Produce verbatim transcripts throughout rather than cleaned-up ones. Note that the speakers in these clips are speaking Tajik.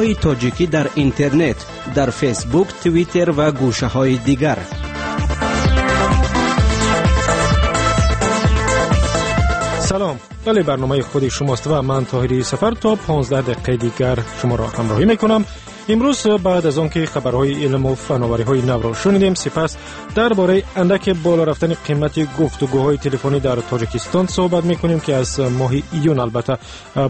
Барномаҳои тоҷикӣ дар интернет, дар Фейсбук, Твиттер ва гӯшаҳои дигар. Салом. Бале, барномаи худи шумост ва ман Тоҳири Сафар то понздаҳ дақиқаи дигар шуморо ҳамроҳӣ мекунам. Имрӯз баъд аз он ки хабарҳои илму фановариҳои навро шунидем, сипас дар бораи андаке боло рафтани қимати гуфтугӯҳои телефонӣ дар Тоҷикистон суҳбат мекунем, ки аз моҳи июн албатта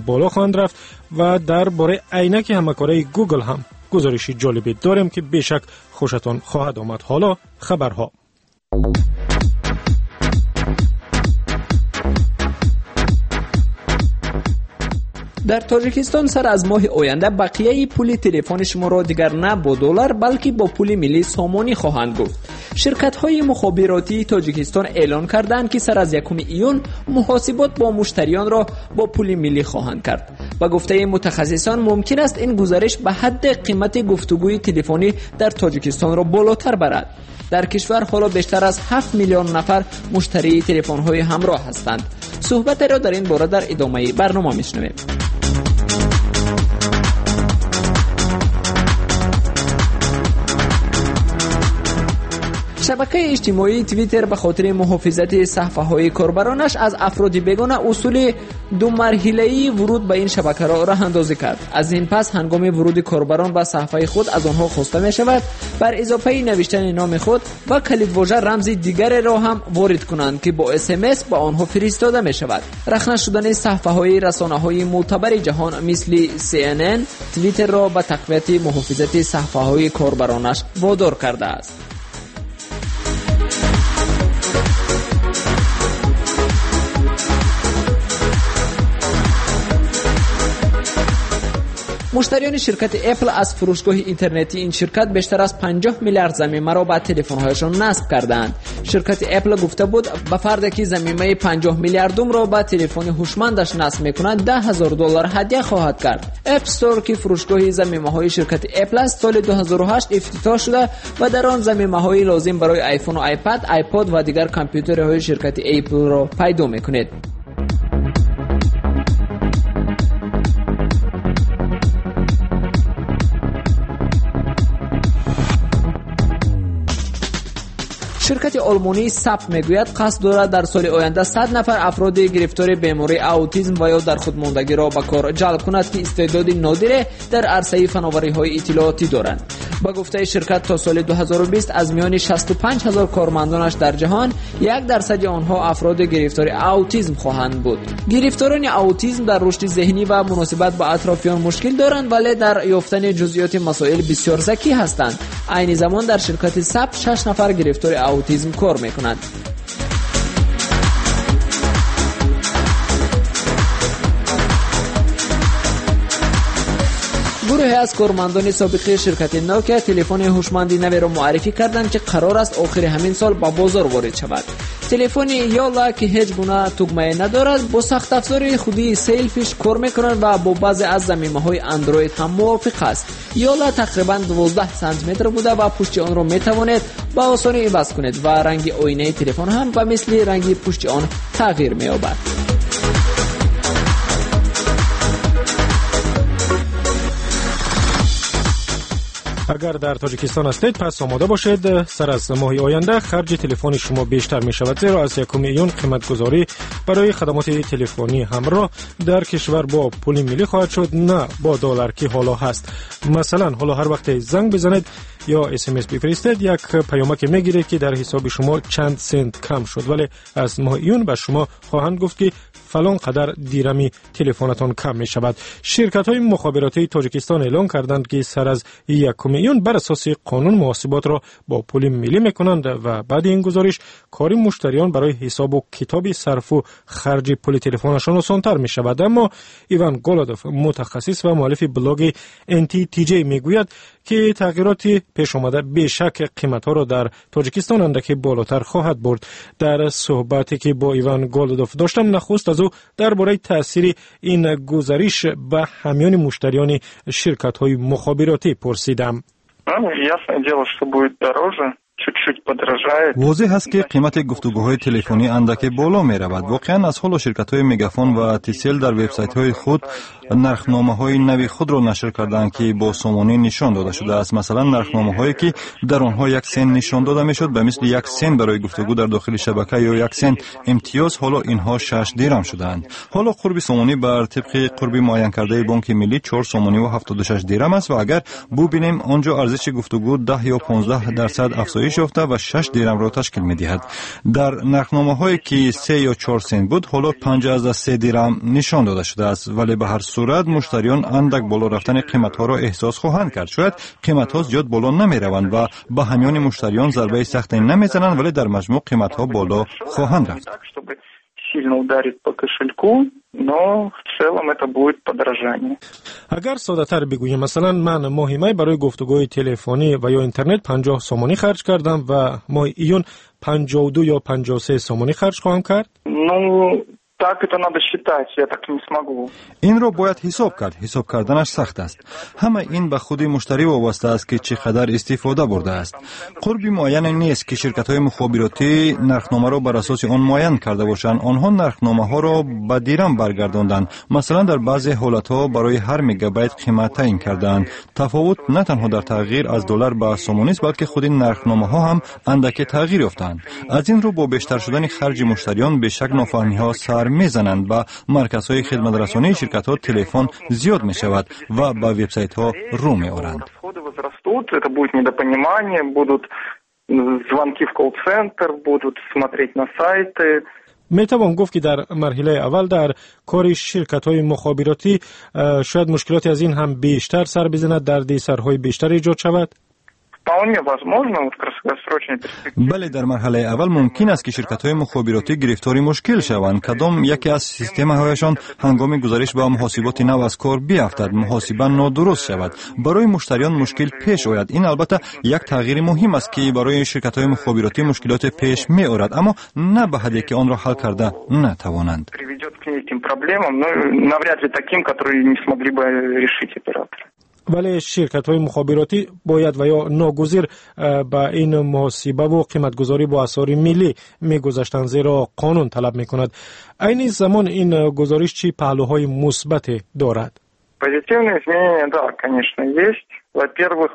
боло хоҳанд рафт, ва дар бораи айнаки ҳамакораи Гугл ҳам гузориши ҷолибе дорем, ки бешак хушатон хоҳад омад. Ҳоло хабарҳо. Дар Тоҷикистон сар аз моҳи оянда бақияи пули телефони шуморо дигар на бо доллар, балки бо пули миллӣ сомонӣ хоҳанд гуфт. Ширкатҳои мухобиротии Тоҷикистон эълон карданд, ки сар аз якуми июн муҳосибот бо муштариёнро бо пули миллӣ хоҳанд кард. Ба гуфтаи мутахассисон, мумкин аст ин гузариш ба ҳадди қимати гуфтугӯи телефонӣ дар Тоҷикистонро болотар барад. Дар кишвар ҳоло бештар аз ҳафт миллион нафар муштарии телефонҳои ҳамроҳ ҳастанд. Суҳбатеро дар ин бора дар идомаи барнома мешунавем. Шабакаи иҷтимоии Твиттер ба хотири муҳофизати саҳфаҳои корбаронаш аз афроди бегона усули думарҳилаии вуруд ба ин шабакаро роҳандозӣ кард. Аз ин пас ҳангоми вуруди корбарон ба саҳфаи худ аз онҳо хоста мешавад бар изофаи навиштани номи худ ва калидвожа рамзи дигареро ҳам ворид кунанд, ки бо эс эм эс ба онҳо фиристода мешавад. Рахна шудани саҳфаҳои расонаҳои мӯътабари ҷаҳон мисли Си Эн Эн Твиттерро ба тақвияти муҳофизати саҳфаҳои корбаронаш водор кардааст. Муштариёни ширкати Apple аз фурӯшгоҳи интернетии ин ширкат бештар аз панҷоҳ миллиард замимаро ба телефонҳояшон насб кардаанд. Ширкати Apple гуфта буд, ба фарде ки замимаи панҷоҳ миллиардумро ба телефони ҳушмандаш насб мекунад, даҳ ҳазор доллар ҳадя хоҳад кард. App Store, ки фурӯшгоҳи замимаҳои ширкати Apple аст, соли ду ҳазору ҳашт ифтитоҳ шуда ва дар он замимаҳои лозим барои iPhone, iPad, iPod ва дигар компютерҳои ширкати Apple-ро пайдо мекунед. Ширкати олмонии Сап мегӯяд, қасд дорад дар соли оянда сад нафар афроди гирифтори бемории аутизм ва ё дар худмондагиро ба кор ҷалб кунад, ки истеъдоди нодире дар арсаи фановариҳои иттилоотӣ доранд. Ба гуфтаи ширкат, то соли ду ҳазору бист аз миёни шасту панҷ ҳазор кормандонаш дар ҷаҳон як дарсади онҳо афроди гирифтори аутизм хоҳанд буд. Гирифторони аутизм дар рушди зеҳнӣ ва муносибат ба атрофиён мушкил доранд, вале дар ёфтани ҷузъиёти масоил бисёр закӣ ҳастанд. Айни замон дар ширкати Сап шаш нафар гирифтори аутизм кор мекунанд. Гурӯҳе аз кормандони собиқи ширкати Nokia телефони ҳушманди наверо муаррифӣ карданд, ки қарор аст охири ҳамин сол ба бозор ворид шавад. Телефони Йола, ки ҳеҷ гуна тугмае надорад, бо сахтафзори худии Sailfish кор мекунад ва бо баъзе аз замимаҳои Android ҳам мувофиқ аст. Йола тақрибан дувоздаҳ сантиметр буда ва пушти онро метавонед ба осонӣ иваз кунед ва ранги оинаи телефон ҳам ба мисли ранги пушти он тағйир меёбад. Агар дар Тоҷикистон ҳастед, пас омода бошед: сар аз моҳи оянда харҷи телефони шумо бештар мешавад, зеро аз якуми июн қиматгузорӣ барои хадамоти телефонӣ ҳамроҳ дар кишвар бо пули миллӣ хоҳад шуд, на бо доллар, ки ҳоло ҳаст. Масалан, ҳоло ҳар вақте занг бизанед ё эс эм эс бифиристед, як паёмаке мегиред, ки дар ҳисоби шумо чанд сент кам шуд, вале аз моҳи июн ба шумо хоҳанд гуфт, ки фалон қадар дирами телефонатон кам мешавад. Ширкатҳои мухобиротии Тоҷикистон эълон карданд, ки сар аз якуми июн бар асоси қонун муҳосиботро бо пули миллӣ мекунанд ва баъди ин гузориш кори муштариён барои ҳисобу китоби сарфу харҷи пули телефонашон осонтар мешавад. Аммо Иван Голодов, мутахассис ва муаллифи блоги N T T J, мегӯяд, ки тағйироти пешомада бешак қиматҳоро дар Тоҷикистон андаке болотар хоҳад бурд. Дар суҳбате, ки бо Иван Голодов доштам, нахуст аз ӯ дар бораи таъсири ин гузариш ба ҳамёни муштариёни ширкатҳои мухобиротӣ пурсидам. Ясное дело, что будет дороже, чуть-чуть подорожает. Возеҳ аст, ки қимати гуфтугӯҳои телефонӣ андаке боло меравад. Воқеан, аз ҳоло ширкатҳои Мегафон ва Тисел дар вебсайтҳои худ Нархномаҳои нави худро нашр карданд, ки бо сомонӣ нишон дода шудааст. Масалан, нархномаҳое, ки дар онҳо як сент нишон дода мешуд, ба мисли як сент барои гуфтугӯ дар дохили шабака ё як сент имтиёз, ҳоло инҳо шаш дирам шудаанд. Ҳоло қурби сомонӣ бар тибқи қурби муайянкардаи Бонки Миллӣ чор сомониву ҳафтоду шаш дирам аст ва агар бубинем, он ҷо арзиши гуфтугӯ даҳ ё понздаҳ дарсад афзоиш ёфта ва шаш дирамро ташкил медиҳад. Дар нархномаҳое, ки се ё чор сент буд, ҳоло панҷ аз се дирам нишон дода шудааст. Вале ба ҳар сурат муштариён андак боло рафтани қиматҳоро эҳсос хоҳанд кард. Шояд қиматҳо зиёд боло намераванд ва ба ҳамёни муштариён зарбаи сахте намезананд, вале дар маҷмӯъ қиматҳо боло хоҳанд рафт. Сильно ударит по кошельку, но в целом это будет подорожание. Агар соддатар бигӯем, масалан, ман моҳи май барои гуфтугӯи телефонӣ ва ё интернет панҷоҳ сомонӣ харҷ кардам ва моҳи июн панҷоҳу ду ё панҷоҳу се сомонӣ харҷ хоҳам кард? Ну, так это надо считать, я так не смогу. Инро бояд ҳисоб кард. Ҳисоб карданаш сахт аст. Ҳама ин ба худи муштарӣ вобаста аст, ки чӣ қадар истифода бурдааст. Қурби муайяне нест, ки ширкатҳои мухобиротӣ нархномаро бар асоси он муайян карда бошанд. Онҳо нархномаҳоро ба дирам баргардонданд. Масалан, дар баъзе ҳолатҳо барои ҳар мегабайт қимат таъин кардаанд. Тафовут на танҳо дар тағйир аз доллар ба сомонист, балки худи нархномаҳо ҳам андаке тағйир ёфтаанд. Аз ин рӯ бо бештар шудани харҷи муштариён бешак нофаҳмиҳо сар мезананд. Ба марказҳои хидматрасонии ширкатҳо телефон зиёд мешавад ва ба вебсайтҳо рӯ меоранд. Это будет недопонимание, будут звонки в колл-центр, будут смотреть на сайты. Метавон гуфт, ки дар марҳилаи аввал дар кори ширкатҳои мухобиротӣ шояд мушкилоте аз ин ҳам бештар сар бизанад, дардисарҳои бештар эҷод шавад? Вполне возможно, вот в краткосрочной перспективе. Бале, дар марҳалаи аввал мумкин аст, ки ширкатҳои мухобиротӣ гирифтори мушкил шаванд. Кадом яке аз системаҳояшон ҳангоми гузариш ба муҳосиботи нав аз кор биафтад, муҳосиба нодуруст шавад, барои муштариён мушкил пеш ояд. Ин албатта як тағйири муҳим аст, ки барои ширкатҳои мухобиротӣ мушкилоте пеш меорад, аммо на ба ҳадде, ки онро ҳал карда натавонанд. Приведет к неким проблемам, но навряд ли таким, которые не смогли бы решить операторы. Вале ширкатҳои мухобиротӣ бояд ва ё ногузир ба ин муҳосибаву қиматгузорӣ бо асъори миллӣ мегузаштанд, зеро қонун талаб мекунад. Айни замон ин гузориш чӣ паҳлӯҳои мусбате дорад? Позитивные изменения, да, конечно, есть. Во-первых,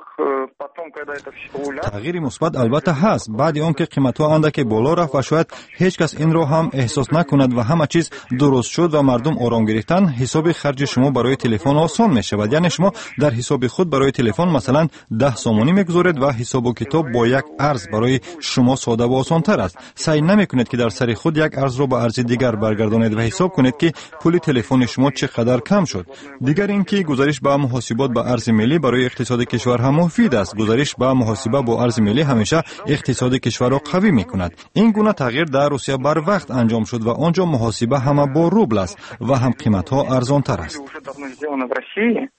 потом, когда это все уляжется... Тағйири мусбат албатта ҳаст. Баъди он ки қиматҳо андаке боло рафт ва шояд ҳеҷ кас инро ҳам эҳсос накунад ва ҳама чиз дуруст шуд ва мардум ором гирифтанд, ҳисоби харҷи шумо барои телефон осон мешавад. Яъне шумо дар ҳисоби худ барои телефон масалан даҳ сомонӣ мегузоред ва ҳисобу китоб бо як арз барои шумо сода ва осонтар аст. Саъй намекунед, ки дар сари худ як арзро ба арзи дигар баргардонед ва ҳисоб кунед, ки пули телефони шумо чӣ қадар кам шуд. Дигар ин ки гузариш ба муҳосибот ба арзи миллӣ барои иқтисоди кишвар ҳам муфид аст. Гузариш ба муҳосиба бо арзи миллӣ ҳамеша иқтисоди кишварро қавӣ мекунад. Ин гуна тағйир дар Русия барвақт анҷом шуд ва он ҷо муҳосиба ҳама бо рубл аст ва ҳам қиматҳо арзонтар аст. Уже давно сделано в России.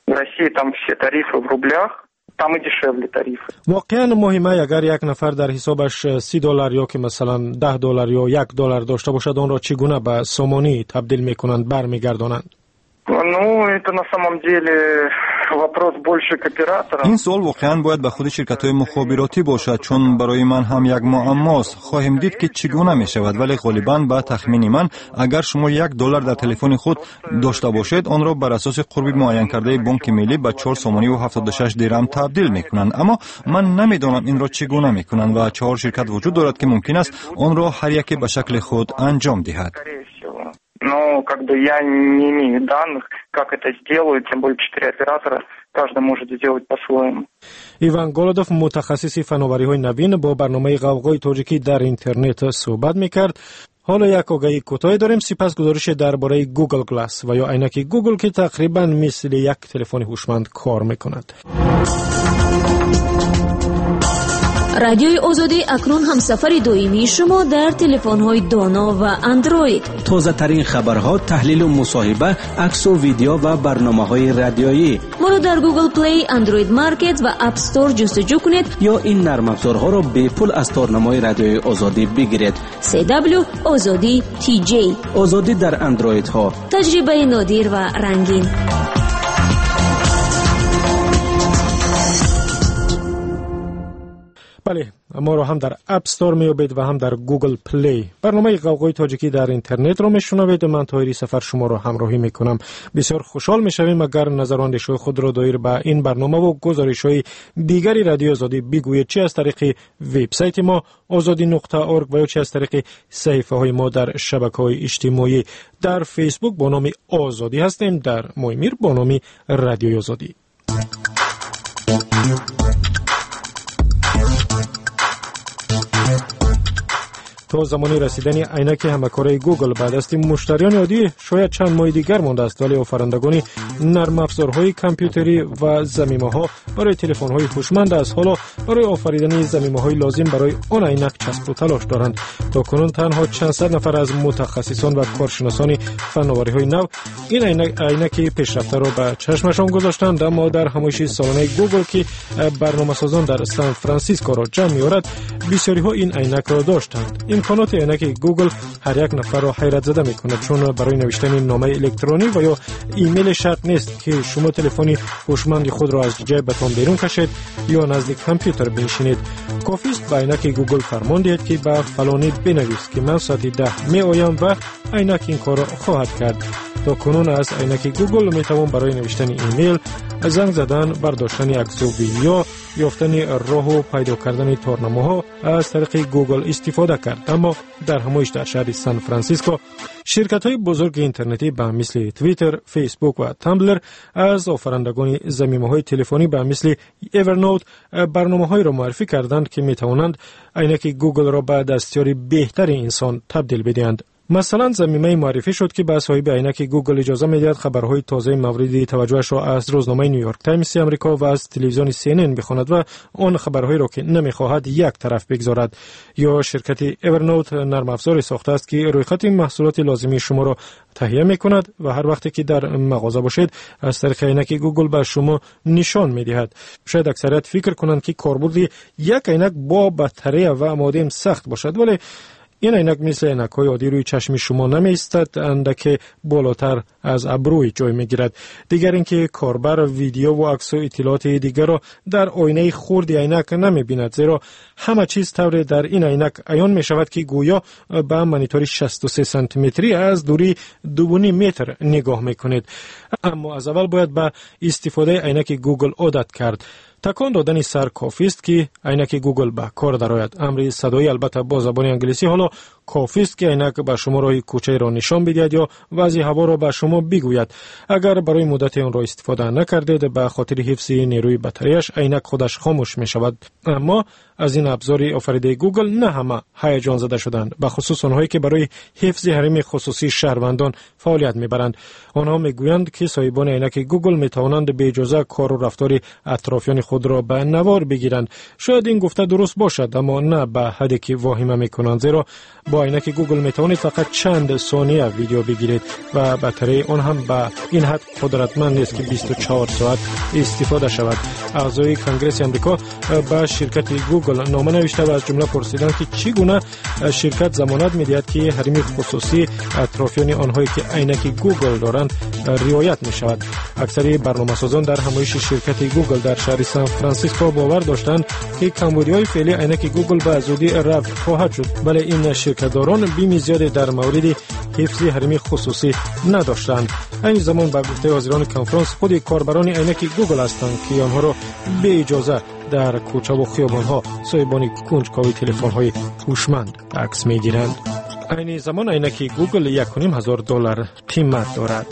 В России там все тарифы в рублях, там и дешевле тарифы. Воқеан, моҳи май агар як нафар дар ҳисобаш си доллар ё ки масалан даҳ доллар ё як доллар дошта бошад, онро чӣ гуна ба сомонӣ табдил мекунанд, бармегардонанд? Ну, это на самом деле вопрос больше к операторам. Ин суол воқеан бояд ба худи ширкатҳои мухобиротӣ бошад, чун барои ман ҳам як муаммост. Хоҳем дид, ки чӣ гуна мешавад, вале ғолибан, ба тахмини ман, агар шумо як доллар дар телефони худ дошта бошед, онро бар асоси қурби муайянкардаи Бонки Миллӣ ба чор сомониву ҳафтоду шаш дирам табдил мекунанд. Аммо ман намедонам, инро чӣ гуна мекунанд ва чаҳор ширкат вуҷуд дорад, ки мумкин аст онро ҳар яке ба шакли худ анҷом диҳад. Скорее всего. Но как бы я не имею данных, как это сделают, тем более четыре оператора, каждый может сделать по-своему. Иван Голодов, мутахассиси фановариҳои навин, бо барномаи Ғавғои тоҷикӣ дар интернет суҳбат мекард. Ҳоло як огаҳии кӯтоҳе дорем, сипас гузорише дар бораи Google Glass ва ё айнаки Google, ки тақрибан мисли як телефони ҳушманд кор мекунад. Радиои Озодӣ акнун ҳамсафари доимии шумо дар телефонҳои доно ва Андроид. Тозатарин хабарҳо, таҳлилу мусоҳиба, аксу видео ва барномаҳои радиоӣ. Моро дар Google Play, Android Market ва App Store ҷустуҷӯ кунед. Ё ин нармафзорҳоро бепул аз торнамои Радиои Озодӣ бигиред. C W Озодӣ T J. Озодӣ дар андроидҳо. Таҷрибаи нодир ва рангин. Бале, моро ҳам дар App Store меёбед ва ҳам дар Google Play. Барномаи Ғавғои тоҷикӣ дар интернетро мешунавед. Ман Тоҳири Сафар шуморо ҳамроҳӣ мекунам. Бисёр хушҳол мешавем, агар назару андешаҳои худро доир ба ин барнома ва гузоришҳои дигари Радиои Озодӣ бигӯед, чи аз тариқи вебсайти мо озодӣ нуқта орг ва ё чи аз тариқи саҳифаҳои мо дар шабакаҳои иҷтимоӣ. Дар Фейсбук бо номи Озодӣ ҳастем, дар Моймир бо номи Радиои Озодӣ. То замони расидани айнаки ҳамакораи Google ба дасти муштариёни оддӣ шояд чанд моҳи дигар мондааст, вале офарандагони нармафзорҳои компютерӣ ва замимаҳо барои телефонҳои ҳушманд аз ҳоло барои офаридани замимаҳои лозим барои он айнак часпу талош доранд. То кунун танҳо чанд сад нафар аз мутахассисон ва коршиносони фановариҳои нав ин айнаки пешрафтаро ба чашмашон гузоштанд, аммо дар ҳамоиши солонаи Google, ки барномасозон дар Сан Франсискоро ҷамъ меорад, бисёриҳо ин айнакро доштанд. Имконоти айнаки Google ҳар як нафарро ҳайратзада мекунад, чун барои навиштани номаи электронӣ ва ё имейл шарт нест, ки шумо телефони ҳушманди худро аз ҷайбатон берун кашед ё назди компютер биншинед. Кофист ба айнаки Google фармон диҳед, ки ба фалонӣ бинавис, ки ман соати даҳ меоям ва айнак ин корро хоҳад кард. То кунун аз айнаки Google метавон барои навиштани имейл, занг задан, бардоштани аксу видео, ёфтани роҳу пайдо кардани торнамоҳо аз тариқи Google истифода кард. Аммо дар ҳамоиш дар шаҳри Сан Франсиско ширкатҳои бузурги интернетӣ ба мисли Twitter, Facebook ва Tumblr аз офарандагони замимаҳои телефонӣ ба мисли Evernote барномаҳоеро муаррифӣ карданд, ки метавонанд айнаки Google-ро ба дастёри беҳтари инсон табдил бидиҳанд. Масалан, замимаи муаррифӣ шуд, ки ба соҳиби айнаки Google иҷоза медиҳад хабарҳои тозаи мавриди таваҷҷӯҳашро аз рӯзномаи Нью Йорк Таймси Амрико ва аз телевизиони Си Эн Эн бихонад ва он хабарҳоеро, ки намехоҳад, як тараф бигзорад. Ё ширкати Evernote нармафзоре сохтааст, ки рӯйхати маҳсулоти лозимии шуморо таҳия мекунад ва ҳар вақте ки дар мағоза бошед, аз тариқи айнаки Google ба шумо нишон медиҳад. Шояд аксарият фикр кунанд, ки корбурди як айнак бо батарея ва модем сахт бошад, вале ин айнак мисли айнакҳои оддӣ рӯи чашми шумо намеистад, андаке болотар аз абрӯй ҷой мегирад. Дигар ин ки корбар видео ва аксу иттилооти дигарро дар оинаи хурди айнак намебинад, зеро ҳама чиз тавре дар ин айнак аён мешавад, ки гӯё ба монитори шасту се сантиметрӣ аз дурии дуву ним метр нигоҳ мекунед. Аммо аз аввал бояд ба истифодаи айнаки Google одат кард. Такон додани сар кофист, ки айнаки Google ба кор дарояд. Амри садоӣ албатта бо забони англисӣ ҳоло кофист, ки айнак ба шумо роҳи кӯчаеро нишон бидиҳад ё вазъи ҳаворо ба шумо бигӯяд. Агар барои муддате онро истифода накардед, ба хотири ҳифзи нерӯи батареяш айнак худаш хомӯш мешавад. Аммо аз ин абзори офаридаи Google на ҳама ҳаяҷонзада шуданд, ба хусус онҳое, ки барои ҳифзи ҳарими хусусии шаҳрвандон фаъолият мебаранд. Онҳо мегӯянд, ки соҳибони айнаки Google метавонанд беиҷоза кору рафтори атрофиёни худро ба навор бигиранд. Шояд ин гуфта дуруст бошад, аммо на ба ҳадде ки воҳима мекунанд, зеро бо айнаки Google метавонед фақат чанд сония видео бигиред ва батареяи он ҳам ба ин ҳад қудратманд нест, ки бисту чор соат истифода шавад. Аъзои Конгресси Амрико ба ширкати Google нома навишта ва аз ҷумла пурсиданд, ки чӣ гуна ширкат замонат медиҳад, ки ҳарими хусусии атрофиёни онҳое, ки айнаки Google доранд, риоят мешавад. Аксари барномасозон дар ҳамоиши ширкати Google дар шаҳри Сан Франсиско бовар доштанд, ки камбудиҳои феълии айнаки Google ба зудӣ рафъ хоҳад шуд, вале ин ширкатдорон бими зиёде дар мавриди ҳифзи ҳарими хусусӣ надоштанд. Айни замон ба гуфтаи ҳозирони конфронс, худи корбарони айнаки Google ҳастанд, ки онҳоро беиҷоза дар кӯчаву хиёбонҳо соҳибони кунҷкови телефонҳои ҳушманд акс мегиранд. Айни замон айнаки Google як ва ним ҳазор доллар қимат дорад.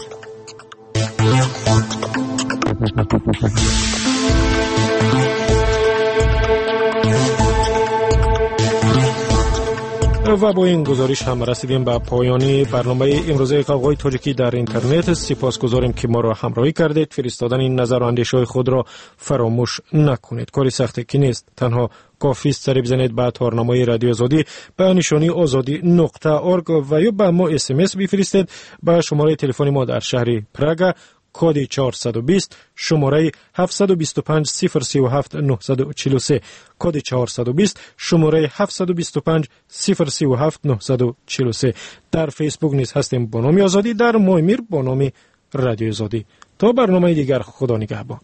Ва бо ин гузориш ҳам расидем ба поёни барномаи имрӯзаи Ғавғои тоҷикӣ дар интернет. Сипосгузорем, ки моро ҳамроҳӣ кардед. Фиристодани назару андешаҳои худро фаромӯш накунед. Кори сахте ки нест, танҳо кофист сари бизанед ба торнамои Радиои Озодӣ ба нишонии озодӣ нуқта орг ва ё ба мо эс эм эс бифиристед ба шумораи телефони мо дар шаҳри Прага, коди чорсаду бист, шумораи ҳафтсаду бисту панҷ сифр сию ҳафт нуҳсаду чилу се, коди чорсаду бист, шумораи ҳафтсаду бисту панҷ сифр сию ҳафт нуҳсаду чилу се. Дар Фейсбук низ ҳастем бо номи Озодӣ, дар Моймир бо номи Радиои Озодӣ. То барномаи дигар, Худо нигаҳбон.